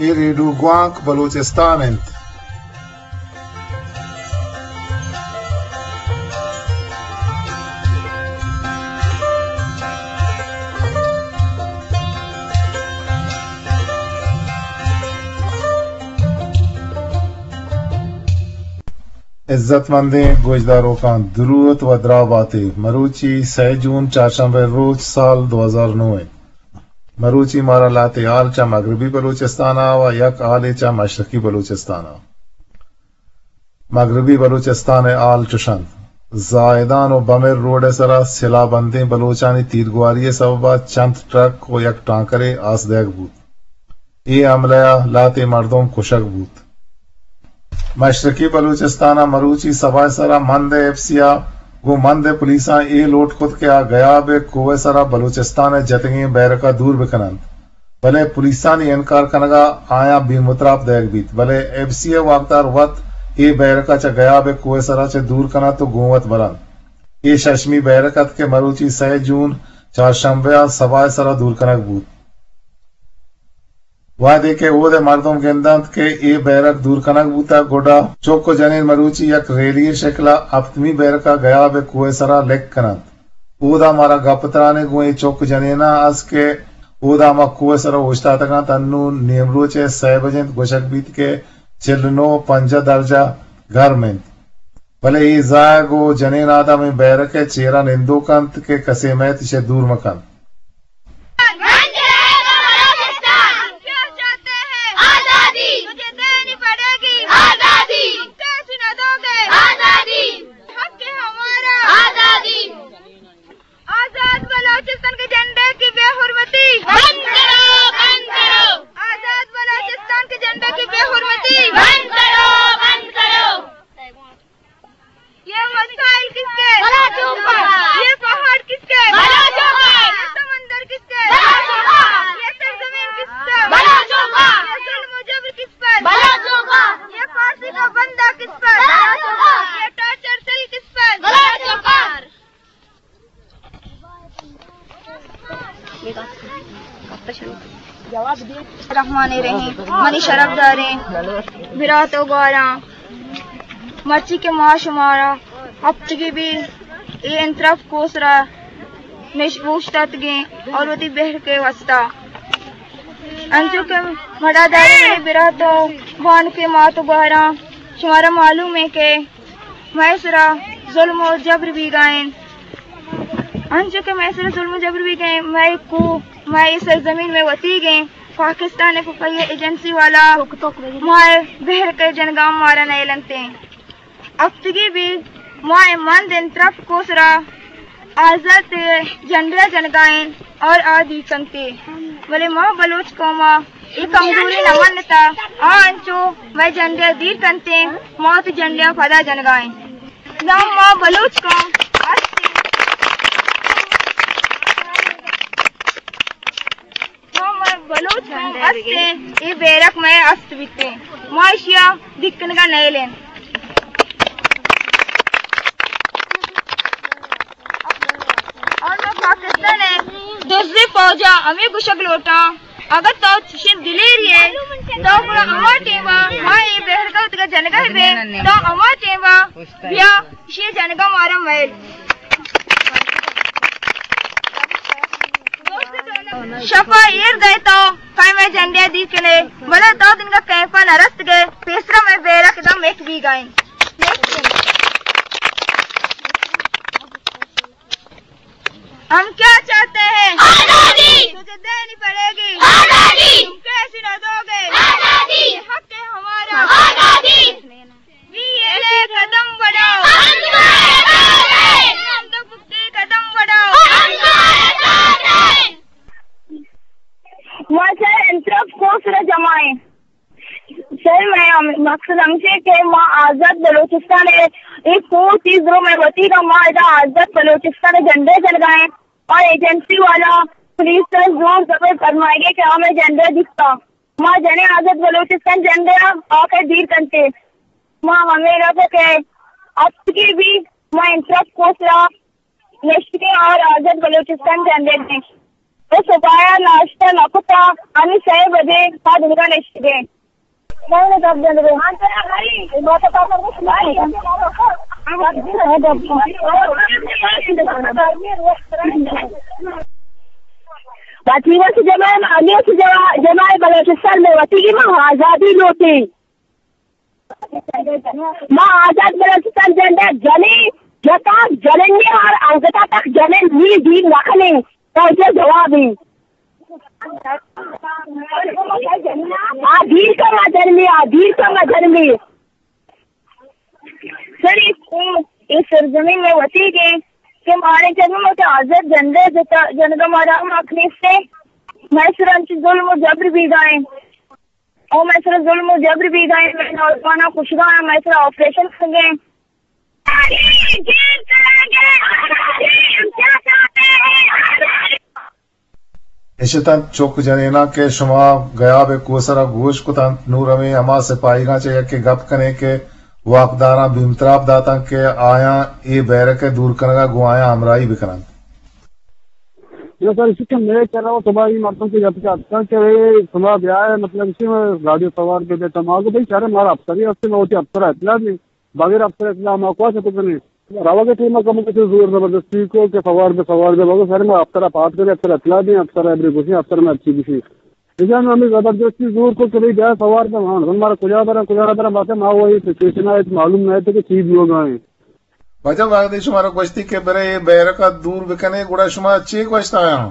اے ریڈیو گوانک بلوچستان انت۔ عزت مندیں گوشداروکاں دروت و دراہ باتے۔ مروچی سئے جون چارشنبہ روچ سال دو ہزار نو انت۔ مروچی مارا لہتے حال چہ مغربی بلوچستان ء و یک حالے چہ مشرقی بلوچستان ء۔ مغربی بلوچستان ء حال چش انت۔ زاہدان و بمر روڈ ء سرا سلاہ بندیں بلوچانی تیرگواری ء سبب ء چنت ٹرک و یک ٹانکرے آس دئیگ بوت۔ اے حملہ ء لہتے مردم کشگ بوت۔ مشرقی بلوچستان ء مروچی سباہ ء سرا مند ء ایف سی ء گوں مند ء پولیساں اے لوٹ کت کہ آ گیاب ء کوہ ء سرا بلوچستان ء جتگیں بیرک ء دور بہ کن انت، بلے پولیسانی انکار کنگ ء آیاں بے متراپ دئیگ بیت، بلے ایف سی ء واکدار وت اے بیرک ء چہ گیاب ء کوہ ء سرا چہ دور کن انت و گوں وت بر انت۔ اے ششمی بیرک ات کہ مروچی سئے جون چارشنبہ ء سباہ ء سرا دور کنگ بوت۔ وہدے کہ اود ء مردم گندنت کہ اے بیرک دور کنگ بوتگ، گڈا چک و جنین مروچی یک ریلی ء شکل ء ہپتمی بیرک ء گیاب ء کوہ ء سرا لک کن انت۔ اودا مارا گپ ترانے گوں اے چک جنیناں است کہ اودا ہما کوہ ء سرا اوشتاتگ انت، انوں نیمروچ ء سئے بج انت، گوشگ بیت کہ چل نو پنجاہ درجہ گرم انت۔ بلے اے زہگ و جنین آدم اے بیرک ء چیرا نندوک انت کہ کسے مئیت ایشی ء دور مہ کنت۔ بند رہے گا بلوچستان۔ کیا چاہتے ہیں؟ آزادی۔ تجھے دینی پڑے گی۔ آزادی۔ تم کیسی نہ دو گے؟ آزادی۔ حق ہے ہمارا۔ آزادی۔ آزاد بلوچستان کے جھنڈے کی بے حرمتی۔ بند کرو، بند کرو۔ آزاد بلوچستان کے جھنڈے کی بے حرمتی۔ بند کرو، بند کرو۔ یہ وسائل کس کے؟ بلوچوں کا۔ یہ پہاڑ کس کے؟ بلوچوں کا۔ یہ سمندر کس کے؟ بلوچوں کا۔ یہ سرزمین کس کا؟ بلوچوں کا۔ یہ ظلم و جبر کس پر؟ بلوچوں کا۔ یہ پھانسی کا بندہ کس پر؟ بلوچوں کا۔ یہ ٹارچر سیل کس پر؟ بلوچوں کا۔ الرحمن الرحیم۔ منی شرف داریں برات و گواراں، مرچی کہ ما شمارا ہفتگی بی اے انترف کوسرا نش اوشتاتگیں اور وتی بہر کے واسطہ انچو کہ مڑا داریں منی برات و بانکیں مات و گواراں، شمارا معلوم ہے کہ مئے سرا ظلم و جبر بیگا انت۔ انچو کہ مئے سرا ظلم و جبر بیگا انت، مئے کوہ، مئے سرزمین مئے وتیگ انت۔ پاکستان ء خفیہ ایجنسی والا مئے بہر کے جنگا مارا نیلنت انت۔ ہفتگی بی ما اے مند انترف کوسرا آزات جھنڈیا جنگائیں اور آ دیر کنتے، بلے ما بلوچ قوما اے کمزوری نہ منتا، آ انچو مئے جھنڈیا دیر کنتے، ما وتی جھنڈیا پدا جنگائیں۔ داں ما بلوچ قوم است، ما بلوچ قوم است، اے بیرک مئے است بیتے، ما اشیا دیر کنگا نیلیں۔ اور ما پاکستان ء دزیں فوج ء ہمے گوشگ لوٹاں، اگاں تو چشیں دلیری ئے، تو گڑا ہما ٹیم ء ما اے بہرگا وتگا جنگا بے، تو ہما ٹیم ء بیا، اشی جنگا مارا میل۔ شپا ایر دئے تو کئے مئے جنڈے دی کنے، بلے تو دنگا کیمپا نہ رست گئے، پیسرا مئے بیرک دم ایک بیگائیں۔ ہم کیا چاہتے ہیں؟ آزادی۔ تجھے دینی پڑے گی۔ آزادی۔ تم کیسی نہ دو گے؟ آزادی۔ یہ حق ہے ہمارا۔ آزادی۔ بی ایل اے قدم بڑھاؤ۔ ہم تمہارے ساتھ ہیں۔ ہم تو پکے قدم بڑھاؤ۔ ہم تمہارے ساتھ ہیں۔ ما چہ انترف کوسرا جمع ایں۔ سر، مئے ہم-، مقصد ہمیش ایں کہ ما آزاد بلوچستان ء اے کوہ چیز رو مئے وتی گا، ما ادا آزاد بلوچستان ء جھنڈے جنگا ایں اور ایجنسی والا پولیس ء زور زبر فرمائیگے کہ ہمے جھنڈے دیکھتا۔ ما جنیں آزاد بلوچستان جھنڈے ء آ کہ دیر کنتے۔ ما ہمے گپ کہ اتکے بھی ما انترف کوسرا نشتگیں اور آزاد بلوچستان جھنڈے دیں۔ او صبایا ناشتہ نہ کتا، ہنی سئے بجے ما دنگا نشتگیں۔ وتی وس جماعت، ہمے وس جماعت، جماعت بلوچستان میں وتی کی ما آزادی لوٹی۔ ما آزاد بلوچستان جنڈا جنیں، جتا جنیں، ہر انگتا تک جنیں، نی دیر نکنیں۔ تو چے جوابی؟ آ دیر کما جنمی، آ دیر کما جنمی۔ سر، اے سرزمین میں وتی گے کہ مارے جنم کہ آزاد جنڈا جتا، جنگا مارا حق نیستے۔ میں سر انچ ظلم و جبر بیگائیں۔ او مئے سرا ظلم و جبر بیگا ایں، مئے نوجواناں کشگا ایں، مئے سرا آپریشن کنگا ایں۔ اش اتنت چک جنیناں کہ شما گیاب ء کوہ سرا گوش کتنت، نوں رویں ہما سپاہیگاں چہ یکے گپ کنیں کہ واکداراں بیمتراپ داتنت کہ آیاں اے بیرک ء دور کنگ ء گوں آیاں ہمراہی بکننت۔ نہ سر، ایشی کہ مئے کرا و شما ای مردم کہ گپ کہ اتکاں کہ اے شما بیائے، مطلب ایشی ما گاڑی سوار بہ بیتا، ما گو بھئی شر مارا افسری ہستے، ما وتی افسر اطلاع دیں، بغیر افسر اطلاع ما کوا چتو کنیں؟ روگ ٹیم کم کچھ زور زبردستی کو کہ سوار بہ سوار بہ، مگر سر ما افسر پات کرے، افسر اطلاع دیں، افسر ابری گوشیں، افسر میں اچھی گوشی۔ ایشان ہمیں زبردستی زور کو کہ بھئی بیا سوار بہ، ہاں مارا کجا برا کجا نہ برا، بات ما وہی سچویشن ہے، معلوم نہ ہے کہ چی بیوگا ہیں۔ واجہ وہدے شمارا گوشتی کہ برے اے بیرک ء دور بکنے، گڑا شما چے گوشت آیاں؟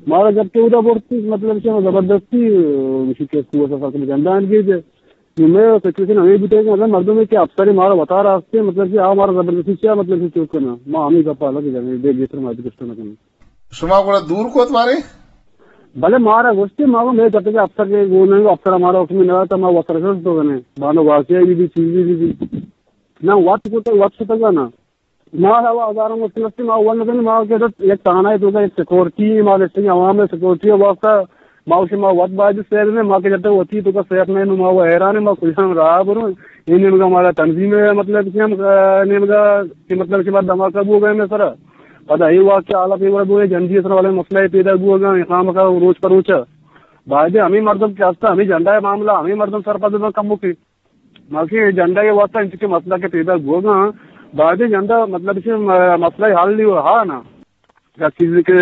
مارا گپتے اودا برتی، مطلب شما زبردستی، اه، شکست ہوا سفر کنے جندان گیج۔ نو میں سچویشن ہمیں بوتے کہ مطلب مردم کہ افسر مارا وتارا ہستے، مطلب کہ آ مارا زبردستی چیا، مطلب کہ چوک کنا۔ ما ہمیں گپا لگے جانے، دے گیتر ما گشتہ نہ کنے۔ شما گڑا دور کوت بارے؟ بلے مارا گوشتی، ما وہ میں گپتے کہ افسر کے وہ نہیں، افسر ہمارا حکم نہ تھا، ما وتر شست تو کنے۔ بانو واقعہ بھی، بھی چیز بھی، بھی۔ نہ وقت کو تو وقت تک نا۔ ما ہوا ہزاروں مشکل است، ما ون کنی، ما کہ یک تھانہ تو کا سیکورٹی، ما لسٹنگ عوام سیکورٹی واسطہ، ما اسے ما وقت باید سیر نے، ما کہ جب تک وتی تو کا سیف نہیں، ما وہ حیران ہے، ما کجا ہم راہ برو۔ یہ نیمگا ہمارا تنظیم ہے، مطلب کہ ہم، آ، نیمگا کہ مطلب کہ بعد دھماکہ بو گئے میں سر۔ پدا یہ واقعہ حالا پیور بو جنجی سر والے مسئلہ پیدا بو گئے، خام کا روچ پر روچ۔ باید ہمیں مردم کہ ہستا، ہمیں جھنڈا ہے معاملہ، ہمیں مردم سرپد کم مکی۔ ماکہ جنڈا ء واسطہ انچکہ مسئلہ کہ پیدا بوگا، بعد جنڈا مطلب کہ مسئلہ حل نہیں ہوا نا۔ یا چیز کہ،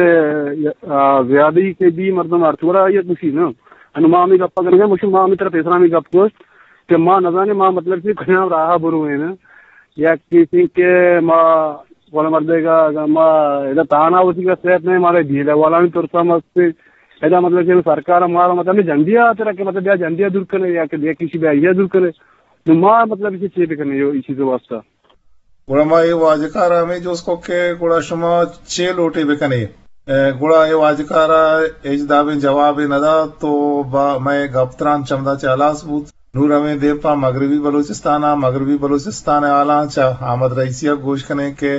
آ، زیادہ ہی کہ بھی مردم ہر تھوڑا یہ کچھ نا۔ انو ما ہمیں گپ کرنے گئے، مشو ما ہمیں طرف اسلامی گپ گوشت کہ ما نزانے ما مطلب کہ کجام راہ برو ہے نا۔ یا کسی کہ ما والا مردے گا، اگر ما ادا تانا ہوتی کا سیف نہیں، مارے جیلے والا بھی ترسا مستے۔ ادا مطلب کہ سرکار مارا مطلب جنڈیا ترا کہ مطلب بیا جنڈیا دور کنے یا کہ بیا کسی بیا یہ دور کنے۔ نو ما مطلب کہ چے بکنے یو اسی واسطہ۔ گڑا ما اے واجکار ء ہمے جست کت کہ گڑا شما چے لوٹ ئے بہ کن ئے؟ گڑا اے واجکار ء ہچ دابیں جوابے نہ دات تو مئے گپ تران چمدا چہ ہلاس بوت۔ نوں رویں دیم پہ مغربی بلوچستان ء، مغربی بلوچستان ء حالاں چہ احمد رئیسی ء گوش کن ایں کہ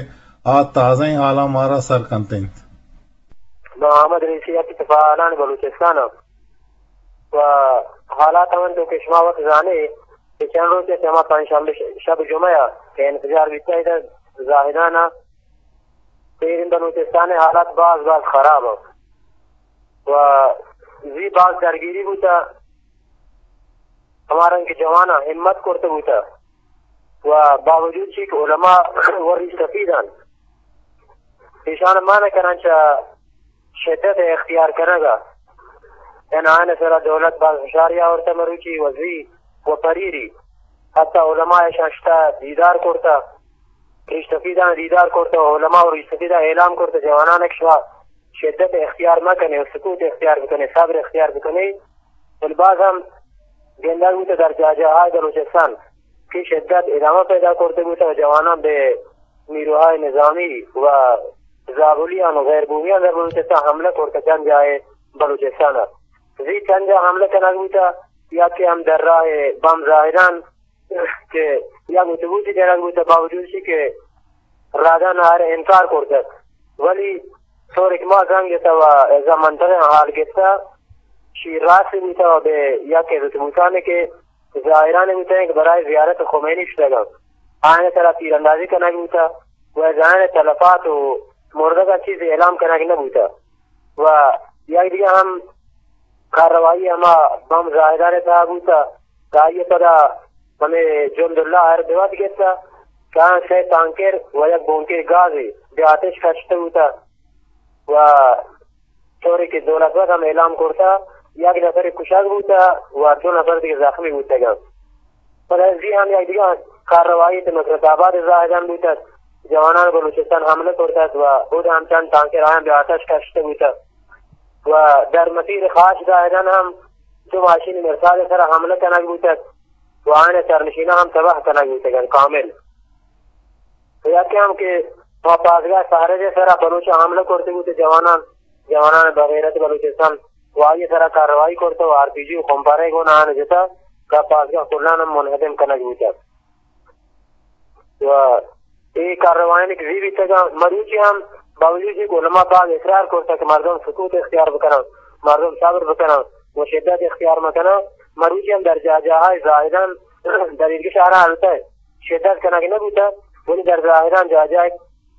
آ تازہیں حالاں مارا سر کنت انت۔ ما احمد رئیسی ء کہ پہ حالان بلوچستان ء و حالات ہمنتو کہ شما وت زانے کہ چند روچ ء چہ ہما پنچ شنبہ ش-، شب جمعہ ء کہ انفجار بیتگ ادھر زاہدان ء، تیریں بلوچستان ء حالات باز باز خراب ء و زی باز درگیری بوتہ، ہما رنگ کہ جواناں ہمت کرتہ بوتہ و باوجود چی کہ علماء و ریش سفید انت، ایشان مانع کنن چہ شدت اختیار کنگ ء، یعنی آیان سرا دولت باز ہشاری آورتہ مروچی و زی و پریری حتی علماء اشان شتہ دیدار کرتہ، ریش سفیدان دیدار کرتہ و علماء و ریش سفیدان اعلام کرتہ جوانان کہ شما شدت اختیار مہ کنے و سکوت اختیار بکنے، صبر اختیار بکنے، بلے باز ہم گندگ بوتہ در جاہ جاہائے بلوچستان کہ شدت ادامہ پیدا کرتہ بوتہ و جوانان بہ نیروہائے نظامی و زابلیان و غیر بومیان در بلوچستان حملہ کرتہ، چند جاہے بلوچستان ء زی چند جاہ حملہ کنگ بوتہ، یا کہ ہم در راہ بم زاہدان کہ یک اتوبوسے جنگ بوتہ، باوجود چی کہ رادان آر انکار کرتگ، ولی طور کہ ما زنگ جتہ و ازا منطقہ حال گپتہ، شی راست بوتہ و بہ یک اتوبوسانے کہ زائران بوتہ کہ برای زیارت خمینی شتگ انت، آیان سرا تیراندازی کنگ بوتہ و از آیان تلفات و مردگان چیزے اعلام کنگ نہ بوتہ و یک دگہ ہم کارروائی ہما بم زاہدان ءِ تہا بوتہ کہ آئی ءَ پدا ہمے جند اللہ ءَ ہر بہ وت گپتہ کہ آیاں سئے تانکر و یک بونکے گازے بہ آتش کشتہ بوتہ و طوری کہ دولت بخش ہم اعلان کرتہ، یک نفرے کشگ بوتہ و دو نفر دگہ زخمی بوتگ انت۔ پدا زی ہم یک دگہ کارروائی ات نصرت آباد ءِ زاہدان بوتگ، جوانان بلوچستان حملہ کرتگ و اود ہم چند تانکر آیاں بہ آتش کشتہ بوتگ و در مسیر خاش زاہدان ہم دو ماشین مرصاد ءِ سرا حملہ کنگ بوتگ و آیان ءِ سرنشیناں ہم تباہ کنگ بوتگ انت کامل۔ و یکے ہم کہ ما پاسگاہ سہرج ءِ سرا بلوچاں حملہ کرتگ بوتہ جوانان، جوانان بغیرت بلوچستان و آئی ءِ سرا کارروائی کرتہ و آر پی جی و خمپارے گون آیان جتہ کہ پاسگاہ کلان ہم منہدم کنگ بوتہ۔ و اے کارروائیانی کہ زی بیتگاں، مروچی ہم باوجود کہ علماء باز اصرار کرتہ کہ مردم سکوت اختیار بکناں، مردم صبر بکناں و شدت اختیار مکناں، مروچی ہم در جاہ جاہا زاہدان در ایرگش آرا التہ شدت کنگ نہ بوتہ، ولی در زاہدان جاہ جاہ،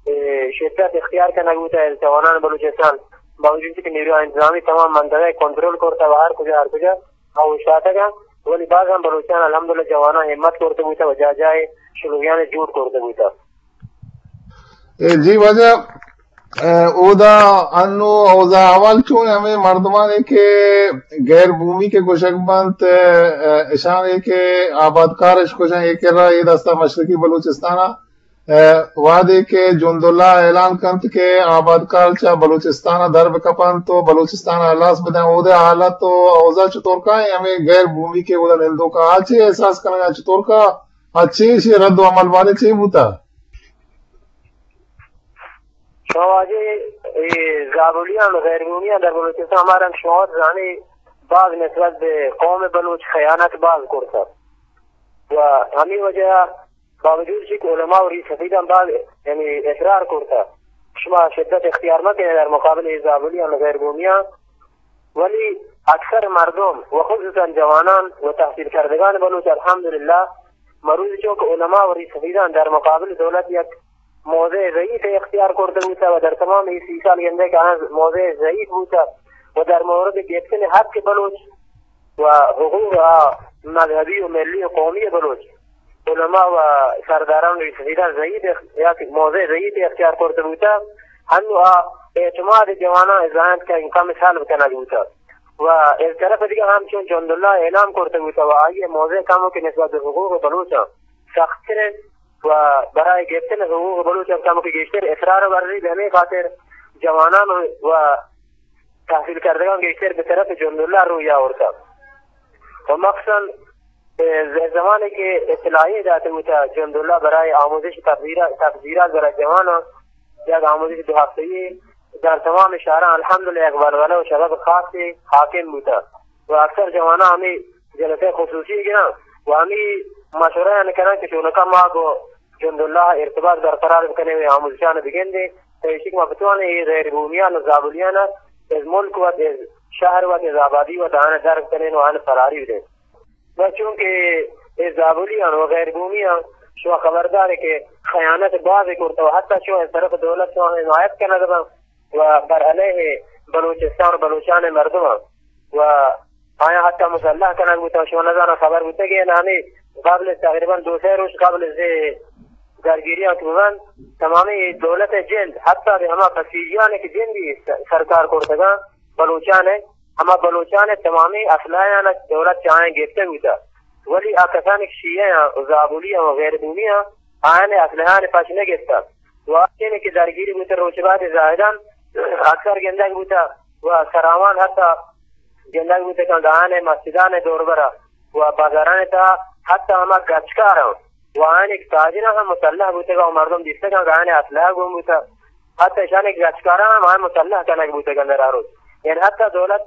اے، شدت اختیار کنگ بوتہ۔ جوانان بلوچستان باوجود کہ نیروی انتظامی تمام منطقہ کنٹرول کرتہ و ہر کجا، ہر کجا آ اوشتاتگ انت، ولی باز ہم بلوچان الحمدللہ جوانان ہمت کرتہ بوتہ و جاہ جاہ شلوگیان جوڑ کرتہ بوتہ۔ اے جی واجہ، اے، اودا انو اوضاع احوال چون؟ ہمے مردمانے کہ غیر بومی کہ گوشگ بنت، اے، اشانے کہ آبادکار اش گوشن، اے کرا اے دستا مشرقی بلوچستانا، اے، وہدے کہ جند اللہ اعلان کنت کہ آبادکار چہ بلوچستانا در بکپنت و بلوچستانا ہلاس بدن، اودے حالت و اوضاع چطور کائیں؟ ہمے غیر بومی کہ اودا نندوکا آ چے احساس کنگا، چطور کا آ چے، اشی رد و عمل بارے چے بوتا؟ شما واجہ، اے زابلیان و غیر بومیان در بلوچستان ہما رنگ شما وت زانے باز نسبت بہ قوم بلوچ خیانت باز کرتہ و ہمے وجہ باوجود چہ کہ علماء و ریش سفیدان باز، یعنی، اصرار کرتہ شما شدت اختیار مکنے در مقابل اے زابلیان و غیر بومیان، ولی اکثر مردم و خصوصاً جوانان و تحصیل کردگان بلوچ الحمدللہ مروچی چو کہ علماء و ریش سفیدان در مقابل دولت یک موضع ضعیف اختیار کرتہ بوتہ و در تمام اے سی سال گندے کہ آہاں موضع ضعیف بوتہ و در مورد گپتن حق بلوچ و حقوق مذہبی و ملی و قومی بلوچ علماء و سرداران و ریش سفیدان ضعیف اخ-، یک موضع ضعیف اختیار کرتہ بوتہ، ہنو آ اعتماد جوانان زانت کہ کم سلب کنگ بوتہ و از طرف دیگہ ہم چون جنداللہ اعلان کرتہ بوتہ و آئی موضع کمو کہ نسبت بہ حقوق بلوچاں سختتر انت و برای گپتن حقوق بلوچ ہم کمو کہ گیشتر اصرار ورزی، بہ ہمے خاطر جوانان و تحصیل کردگان گیشتر بہ طرف جنداللہ روی آورتہ و مخصوصاً، اے، ز-، زمانے کہ اطلاعیہ داتہ بوتہ جنداللہ برای آموزش تبذیرات، تبذیرات برای جوانان یک آموزش دو ہفتگی در تمام شہران الحمدللہ یک ولولہ و شغف خاصے حاکم بوتہ و اکثر جوانان ہمے جلسہ خصوصی گراں و ہمے مشورہ آن کراں کہ چونکا ما گوں جنداللہ ارتباط برقرار بکنیں و آموزشان بگندیں، تا ایشی کہ ما بتوانیں اے غیر بومیان و زابلیان از ملک وت، از شہر وت، از آبادی وت آن در بکنیں و آن فراری بدیں۔ و چونکہ اے زابلیان و غیر بومیان شما خبردارے کہ خیانت باز کرتہ و حتی چون از طرف دولت شما حمایت کنگ بنت و بر علیہ بلوچستان و بلوچان مردمان و آیاں حتی مسلح کنگ بوتگ، شما نزاناں خبر بوتگ یا نہ، ہمے قبل تقریباً دو سئے روچ قبل از اے درگیریاں کہ ببنت، تمامی دولت ءِ جند، حتی بہ ہما بسیجیانی کہ جندی س-، سرکار کرتگاں، بلوچان ءِ، ہما بلوچان ءِ تمامی اسلحہ آناں دولت چہ آیاں گپتگ بوتگ، ولی آ کسانی کہ شیعہ آں و زابلی آں و غیر بومی آں، آیان ءِ اسلحہ آناں پش نہ گپتگ۔ و آ چیزے کہ درگیری بوتگ روچ بعد زاہدان اکثر گندگ بوتگ و سراوان حتی گندگ بوتگ کہ آیان ءِ مسجدان ءِ دوربرا و بازاران ءِ تہا حتی ہما گچکاراں و آیان ءِ تاجراں ہم مسلح بوتگ و مردم دیستگ کہ آیان ءِ اسلحہ گون بوتگ۔ حتی اشان ءِ گچکاراں ہم آیان مسلح کنگ بوتگ اندر آ روچ۔ یعنی حتی دولت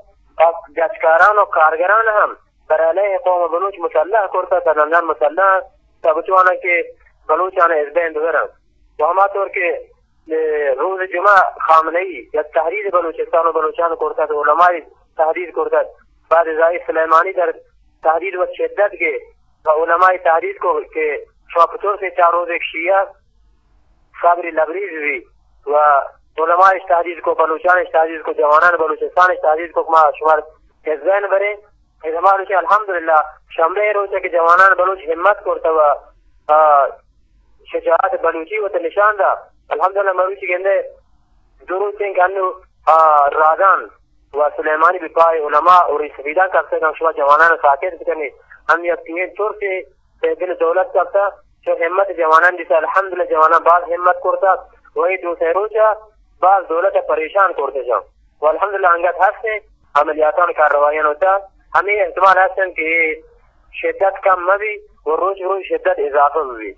گچکاران و کارگران ہم بر علیہ قوم بلوچ مسلح کرتگ، تا نندان مسلح انت، تا بتوانن کہ بلوچان از بین ببرن۔ و ہما طور کہ، اے، روز جمعہ خامنہ ای یک تحریر بلوچستان و بلوچان کرتگ، علمائی تحریر کرتگ، بعد ازائی سلیمانی در تحریر و شدت گے و علمائی تحریر کو کہ شما پتور سے چار روز ایک شیعہ صبری لبریز بی و علماء اش تهدید کو، بلوچان اش تهدید کو، جوانان بلوچستان اش تهدید کو، ما شمار ذهن برے. اے زمان روچ الحمدللہ شنبے روچ کہ جوانان بلوچ ہمت کرتا و آ، شجاعت بلوچی وت نشان دا. الحمدللہ مروچی گندے دو روچ ہیں کہ انو آ، رادان و سلیمانی بپائے علماء اور سفیدان کپتے کہ شما جوانان ساکت بکنے. ہم یک تین ترسے دل دولت کپتا، چو ہمت جوانان دیسا، الحمدللہ جوانان باز ہمت کرتا. وہی دو سے روچا باز دولت پریشان کرتے جان. و الحمدللہ انگت ہستے عملیاتان کارروائیان ہوتا. ہمیں احتمال ہستن کہ شدت کم مبی و روچ روچ شدت اضافہ بی.